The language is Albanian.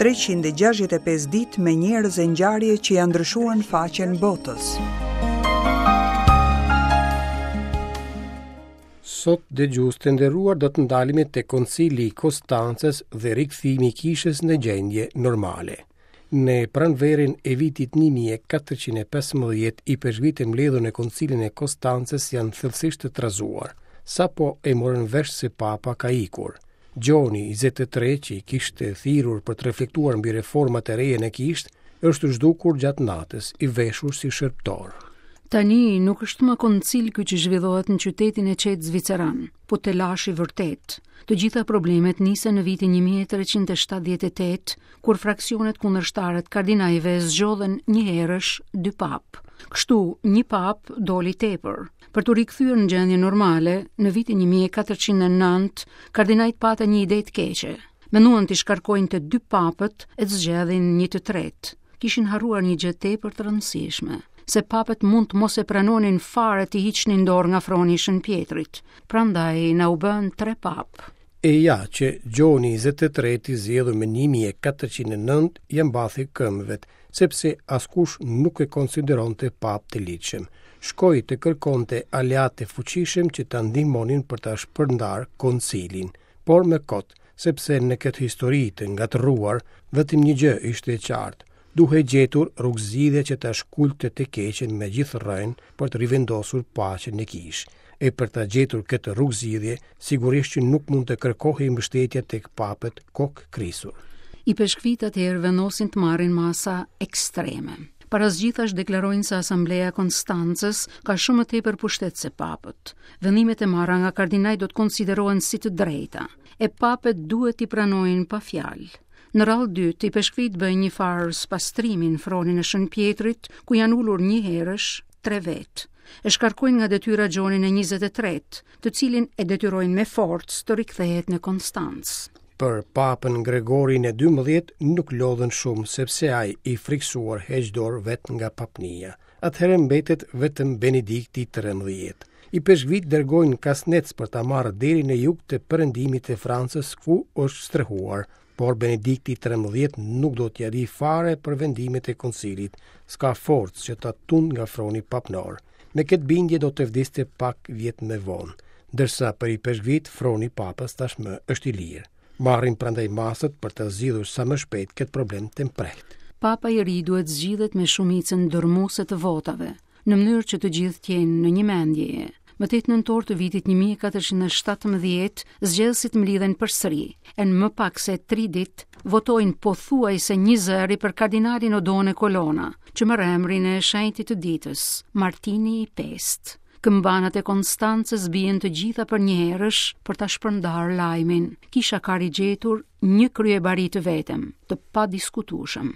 365 ditë me njerëz e ngjarje që ia ndryshuan faqen botës. Sot dëgjues të nderuar do të ndalemi te Koncili i Konstancës dhe rikthimi i kishës në gjendje normale. Në pranverën e vitit 1415, ipeshkvijtë e mbledhur në Koncilin e Konstancës janë thellësisht të trazuar. Sapo e morën vesh se Papa ka ikur. Gjoni 23, që i kishte thirrur për të reflektuar mbi reformat e reja në kishë, është zhdukur gjatë natës, i veshur si shërbëtor. Tani nuk është më koncil ky që zhvillohet në qytetin e qetë zviceran, po telash i vërtetë. Të gjitha problemet nisën në vitin 1378, kur fraksionet kundërshtare të kardinajve zgjodhën njëherësh dy papë. Kështu, një papë doli tepër. Për t'u rikthyer në gjendje normale, në vitin 1409, kardinajt patën një ide të keqe. Menduan t'i shkarkojnë të dy papët e të zgjedhin një të tretë. Kishin harruar një gjë tepër të rëndësishme, se papët mund të mos e pranonin fare të hiqnin dorë nga froni i Shën Pjetrit. Prandaj na u bënë tre papë. E ja që Gjoni 23 i zgjedhur më 1409 ia mbathi këmbëve, sepse askush nuk e konsideronte papë të ligjshëm. Shkoi të kërkonte aleatë të fuqishëm që ta ndihmonin për ta shpërndarë koncilin, por më kot, sepse në këtë histori të ngatërruar, vetëm një gjë ishte e qartë, duhej gjetur rrugëzgjidhje që ta shkulte të keqen me gjithë rrënjë për të rivendosur paqen në kishë. E për ta gjetur këtë rrugëzgjidhje, sigurisht që nuk mund të kërkohej mbështetja tek papët kokëkrisur. Ipeshkvijtë atëherë vendosin të marrin masa ekstreme. Para së gjithash deklarojnë se Asambleja e Konstancës ka shumë më tepër pushtet se papët. Vendimet e marra nga kardinajt do të konsiderohen si të drejta, e papët duhet t'i pranojnë pa fjalë. Në radhë të dytë, ipeshkvijtë bëjnë një farë spastrimi në fronin e Shën Pjetrit, ku janë ulur njëherësh tre vetë. E shkarkojnë nga detyra Gjonin e 23, të cilin e detyrojnë me forcë të rikthehet në Konstancë. Për papën Gregorin e 12 nuk lodhen shumë sepse ai i frikësuar heq dorë vetë nga papnia. Atëherë mbetet vetëm Benedikti i 13. Ipeshkvijtë dërgojnë kasnecë për ta marrë deri në jug të perëndimit të Francës ku është strehuar, por Benedikti i 13 nuk do t'ia dijë fare për vendimet e koncilit, s'ka forcë që ta tundë nga froni papnor. Me këtë bindje do të vdiste pak vjet më vonë, ndërsa për ipeshkvijtë froni i papës tashmë është i lirë. Marrin prandaj masat për ta zgjidhur sa më shpejt këtë problem të mprehtë. Papa i ri duhet zgjidhet me shumicën dërmuese të votave, në mënyrë që të gjithë të jenë në një mendje. Më 8 nëntor të vitit 1417, zgjedhësit mblidhen përsëri, e në më pak se 3 ditë votojnë pothuajse njëzëri për kardinalin Odone Colonna, që merr emrin e shenjtit të ditës, Martini i Pestë. Këmbanat e Konstancës bien të gjitha përnjëherësh për ta shpërndarë lajmin. Kisha ka rigjetur një kryebari të vetëm, të padiskutueshëm.